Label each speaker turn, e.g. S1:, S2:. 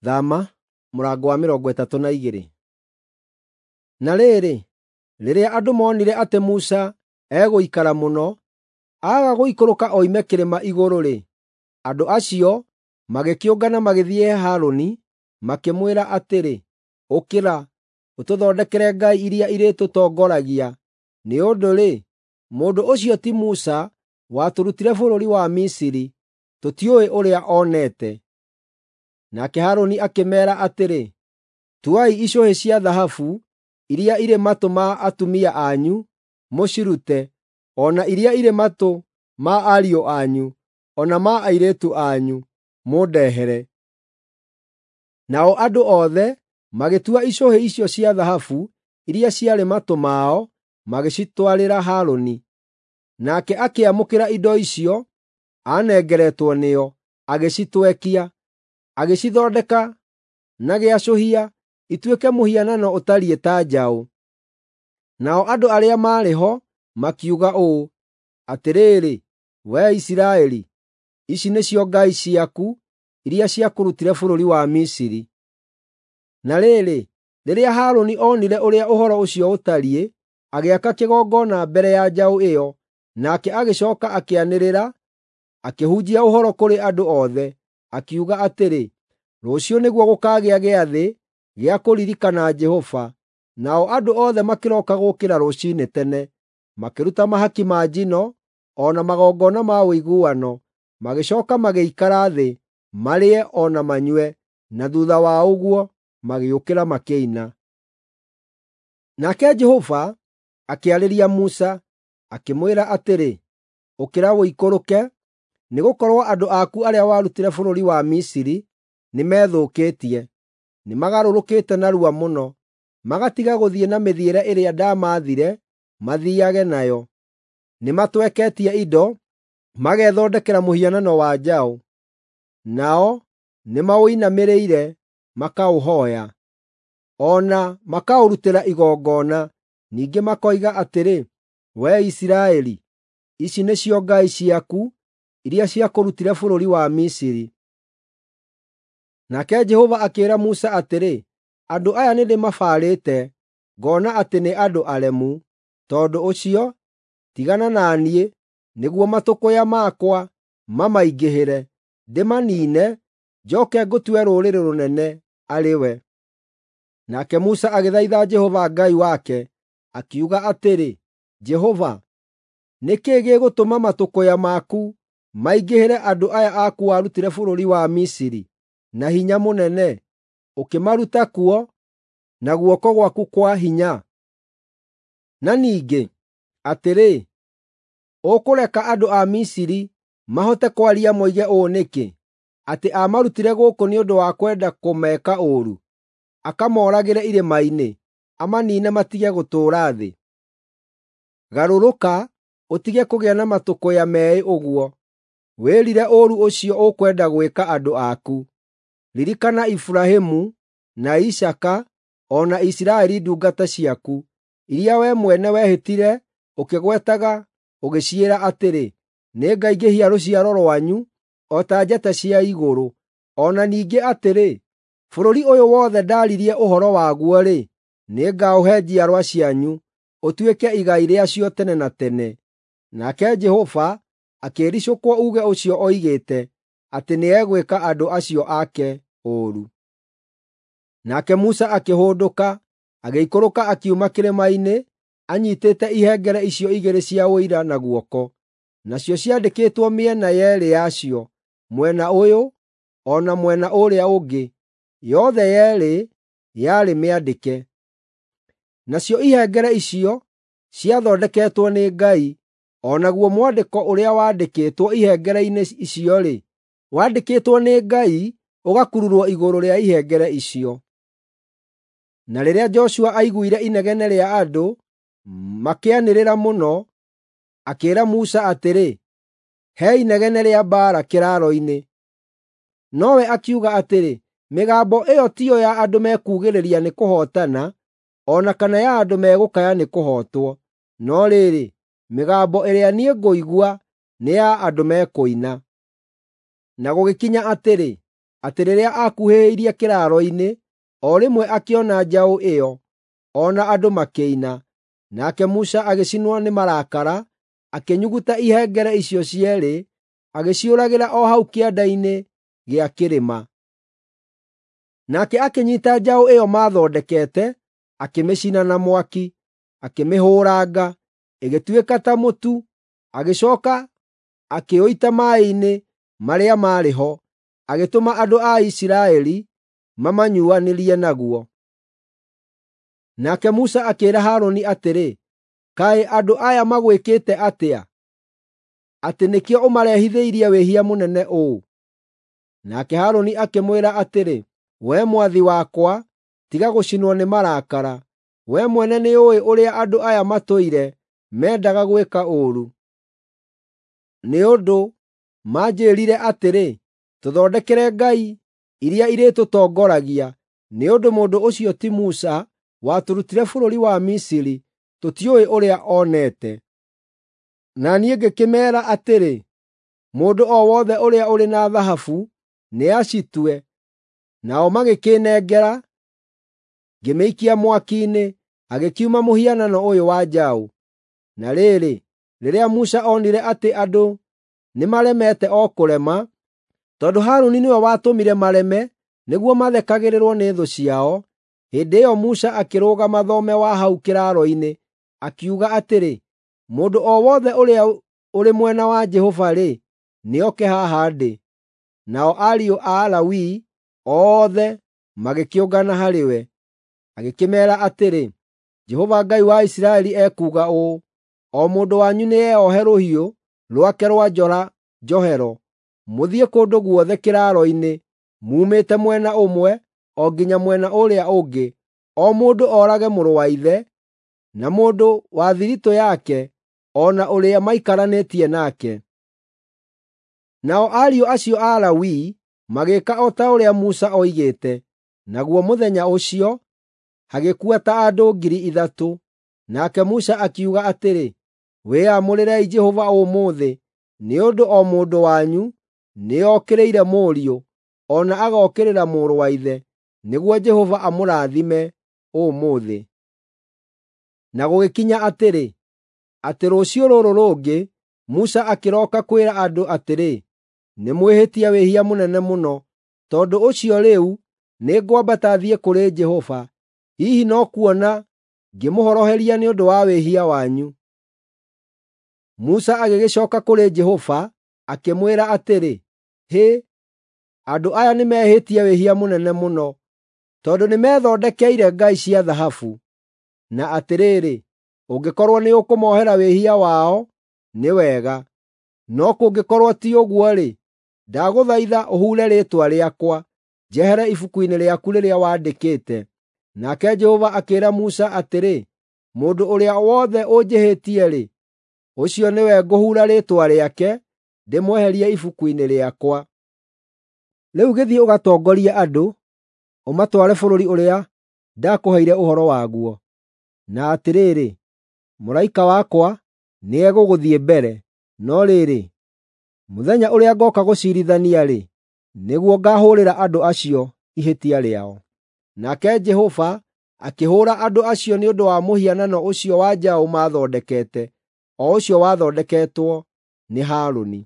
S1: Thama mũrango wa 32. Na rĩrĩ, rĩrĩa andũ moonire atĩ Musa egũikara mũno, aaga gũikũrũka oime kĩrĩma igũrũ-rĩ, andũ acio magĩkĩũngana magĩthiĩ he Harũni, makĩmwĩra atĩrĩ, “Ũkĩra, ũtũthondekere ngai iria irĩtũtongoragia. Nĩ ũndũ-rĩ, mũndũ ũcio ti Musa watũrutire bũrũri wa Misiri, tũtiũĩ ũrĩa onete.” Nake Harũni akĩmeera atĩrĩ, “Tuai icũhĩ cia thahabu iria irĩ matũ ma atumia anyu mũcirute, o na iria irĩ matũ ma ariũ anyu, o na ma airĩtu anyu, mũndehere.” Nao andũ othe magĩtua icũhĩ icio cia thahabu iria ciarĩ matũ mao, magĩcitwarĩra Harũni. Nake akĩamũkĩra indo icio aanengeretwo nĩo, agĩcitwekia, agĩcithondeka na gĩacũhia ituĩke mũhianano ũtariĩ ta njaũ. Nao andũ arĩa maarĩ ho makiuga ũũ, “Atĩrĩrĩ, wee Isiraeli, ici nĩcio ngai ciaku iria ciakũrutire bũrũri wa Misiri.” Na rĩrĩ, rĩrĩa Harũni onire ũrĩa ũhoro ũcio ũtariĩ, agĩaka kĩgongona mbere ya njaũ ĩyo, nake agĩcooka akĩanĩrĩra, akĩhunjia ũhoro kũrĩ andũ othe, akiuga atĩrĩ, “Rũciũ nĩguo gũkaagĩa gĩathĩ gĩa kũririkana Jehova.” Nao andũ othe makĩroka gũũkĩra rũciinĩ tene, makĩruta mahaki ma njino o na magongona ma ũiguano, magĩcooka magĩikara thĩ marĩe o na manyue, na thuutha wa ũguo magĩũkĩra makĩina. Nake Jehova akĩarĩria Musa, akĩmwĩra atĩrĩ, “Ũkĩra ũikũrũke, nĩgũkorwo andũ aku arĩa warutire bũrũri wa Misiri nĩmethũkĩtie. Nĩmagarũrũkĩte narua mũno, magatiga gũthiĩ na mĩthiĩre ĩrĩa ndamaathire mathiiage nayo. Nĩmatweketie indo, magethondekera mũhianano wa njaũ. Nao nĩmaũinamĩrĩire makaũhooya, o na makaũrutĩra igongona. Ningĩ makoiga atĩrĩ, ‘Wee Isiraeli, ici nĩcio ngai ciaku iria ciakũrutire bũrũri wa Misiri.’ ” Nake Jehova akĩĩra Musa atĩrĩ, “Andũ aya nĩndĩmabarĩte, ngoona atĩ nĩ andũ aremu. Tondũ ũcio, tigana na niĩ, nĩguo matũkũya makwa mamaingĩhĩre, ndĩmaniine, njooke ngũtue rũrĩrĩ rũnene arĩ we.” Nake Musa agĩthaitha Jehova Ngai wake, akiuga atĩrĩ, “Jehova, nĩ kĩĩ gĩgũtũma matũkũya maku maingĩhĩre andũ aya aku warutire bũrũri wa Misiri na hinya mũnene, ũkĩmaruta kuo na guoko gwaku kwa hinya? Na ningĩ, atĩrĩ, ũkũreka andũ a Misiri mahote kwaria moige ũũ nĩkĩ, atĩ aamarutire gũkũ nĩ ũndũ wa kwenda kũmeka ũũru, akamooragĩre irĩma-inĩ, amaniine matige gũtũũra thĩ? Garũrũka, ũtige kũgĩa na matũkũya meĩ ũguo, wĩrire ũũru ũcio ũkwenda gwĩka andũ aku. Ririkana Iburahĩmu, na Isaaka, o na Isiraeli ndungata ciaku, iria wee mwene wehĩtire ũkĩgwetaga ũgĩciĩra atĩrĩ, ‘Nĩngaingĩhia rũciaro rwanyu o ta njata cia igũrũ.’ O na ningĩ atĩrĩ, ‘Bũrũri ũyũ wothe ndaaririe ũhoro waguo-rĩ, nĩngaũhe njiarwa cianyu, ũtuĩke igai rĩacio tene na tene.’ ” Nake Jehova akĩĩricũkwo uuge ũcio oigĩte atĩ nĩegwĩka andũ acio ake ũũru. Nake Musa akĩhũndũka, agĩikũrũka akiuma kĩrĩma-inĩ, anyiitĩte ihengere icio igĩrĩ cia Ũira na guoko. Nacio ciandĩkĩtwo mĩena yeerĩ yacio, mwena ũyũ o na mwena ũrĩa ũngĩ, yothe yeerĩ yarĩ mĩandĩke. Nacio ihengere icio ciathondeketwo nĩ Ngai, o naguo mwandĩko ũrĩa waandĩkĩtwo ihengere-inĩ icio-rĩ, waandĩkĩtwo nĩ Ngai ũgakururwo igũrũ rĩa ihengere icio. Na rĩrĩa Joshua aiguire inegene rĩa andũ makĩanĩrĩra mũno, akĩĩra Musa atĩrĩ, “He inegene rĩa mbaara kĩraaro-inĩ.” Nowe akiuga atĩrĩ, “Mĩgambo ĩyo tiyo ya andũ mekuugĩrĩria nĩ kũhootana, o na kana ya andũ megũkaya nĩ kũhootwo. No rĩrĩ, mĩgambo ĩrĩa niĩ ngũigua nĩ ya andũ mekũina.” Na gũgĩkinya atĩrĩ, atĩ rĩrĩa aakuhĩrĩirie kĩraaro-inĩ, o rĩmwe akĩona njaũ ĩyo, o na andũ makĩina. Nake Musa agĩcinwo nĩ marakara, akĩnyuguta ihengere icio cierĩ, agĩciũragĩra o hau kĩanda-inĩ gĩa kĩrĩma. Nake akĩnyiita njaũ ĩyo maathondekete, akĩmĩcina na mwaki, akĩmĩhũũranga, ĩgĩtuĩka ta mũtu, agĩcooka akĩũita maaĩ-inĩ marĩa maarĩ ho, agĩtũma andũ a Isiraeli mamanyuanĩrie naguo. Nake Musa akĩĩra Harũni atĩrĩ, “Kaĩ andũ aya magwĩkĩte atĩa, atĩ nĩkĩo ũmarehithĩirie wĩhia mũnene ũũ?” Nake Harũni akĩmwĩra atĩrĩ, “Wee mwathi wakwa, tiga gũcinwo nĩ marakara. Wee mwene nĩũũĩ ũrĩa andũ aya matũire mendaga gwĩka ũũru. Nĩ ũndũ manjĩĩrire atĩrĩ, ‘Tũthondekere ngai iria irĩtũtongoragia,’ nĩ ũndũ mũndũ ũcio ti Musa watũrutire bũrũri wa Misiri, tũtiũĩ ũrĩa onete.” Na niĩ ngĩkĩmeera atĩrĩ, “Mũndũ o wothe ũrĩa ũrĩ na thahabu nĩacitue.” Nao magĩkĩĩnengera, ngĩmĩikia mwaki-inĩ, hagĩkiuma mũhianano ũyũ wa njaũ. Na rĩrĩ, rĩrĩa Musa onire atĩ andũ nĩmaremete o kũrema, tondũ Harũni nĩwe watũmire mareme nĩguo mathekagĩrĩrwo nĩ thũ ciao, hĩndĩ ĩyo Musa akĩrũgama thome wa hau kĩraaro-inĩ, akiuga atĩrĩ, “Mũndũ o wothe ũrĩa ũrĩ mwena wa Jehova-rĩ, nĩoke haha ndĩ.” Nao ariũ a Lawi othe magĩkĩũngana harĩ we. Agĩkĩmeera atĩrĩ, “Jehova Ngai wa Isiraeli ekuuga ũũ: ‘O mũndũ wanyu nĩeohe rũhiũ rwake rwa njora njohero, mũthiĩ kũndũ guothe kĩraaro-inĩ, muumĩte mwena ũmwe o nginya mwena ũrĩa ũngĩ, o mũndũ oorage mũrũ wa ithe, na mũndũ wa thiritũ yake, o na ũrĩa maikaranĩtie nake.’ ” Nao ariũ acio a Lawi magĩĩka o ta ũrĩa Musa oigĩte, naguo mũthenya ũcio hagĩkua ta andũ 3,000. Nake Musa akiuga atĩrĩ, “Wĩyamũrĩrei Jehova ũmũthĩ, nĩ ũndũ o mũndũ wanyu nĩokĩrĩire mũriũ, o na agookĩrĩra mũrũ wa ithe, nĩguo Jehova amũrathime ũmũthĩ.” Na gũgĩkinya atĩrĩ, atĩ rũciũ rũrũ rũngĩ Musa akĩroka kwĩra andũ atĩrĩ, “Nĩmwĩhĩtie wĩhia mũnene mũno. Tondũ ũcio rĩu nĩngwambata thiĩ kũrĩ Jehova. Hihi no kuona ngĩmũhoroheria nĩ ũndũ wa wĩhia wanyu.” Musa agĩgĩcooka kũrĩ Jehova akĩmwĩra atĩrĩ, “Hĩ, andũ aya nĩmehĩtie wĩhia mũnene mũno, tondũ nĩmethondekeire ngai cia thahabu. Na atĩrĩrĩ, ũngĩkorwo nĩũkũmohera wĩhia wao, nĩ wega; no kũngĩkorwo ti ũguo-rĩ, ndagũthaitha ũhuure rĩĩtwa rĩakwa njehere ibuku-inĩ rĩaku rĩrĩa wandĩkĩte.” Nake Jehova akĩĩra Musa atĩrĩ, “Mũndũ ũrĩa wothe ũnjĩhĩtie-rĩ, ũcio nĩwe ngũhuura rĩĩtwa rĩake ndĩmweherie ibuku-inĩ rĩakwa. Rĩu gĩthiĩ ũgatongorie andũ, ũmatware bũrũri ũrĩa ndakũheire ũhoro waguo. Na atĩrĩrĩ, mũraika wakwa nĩegũgũthiĩ mbere. No rĩrĩ, mũthenya ũrĩa ngooka gũciirithania-rĩ, nĩguo ngaahũũrĩra andũ acio ihĩtia rĩao.” Nake Jehova akĩhũũra andũ acio nĩ ũndũ wa mũhianano ũcio wa njaũ maathondekete, o ũcio wathondeketwo nĩ Harũni.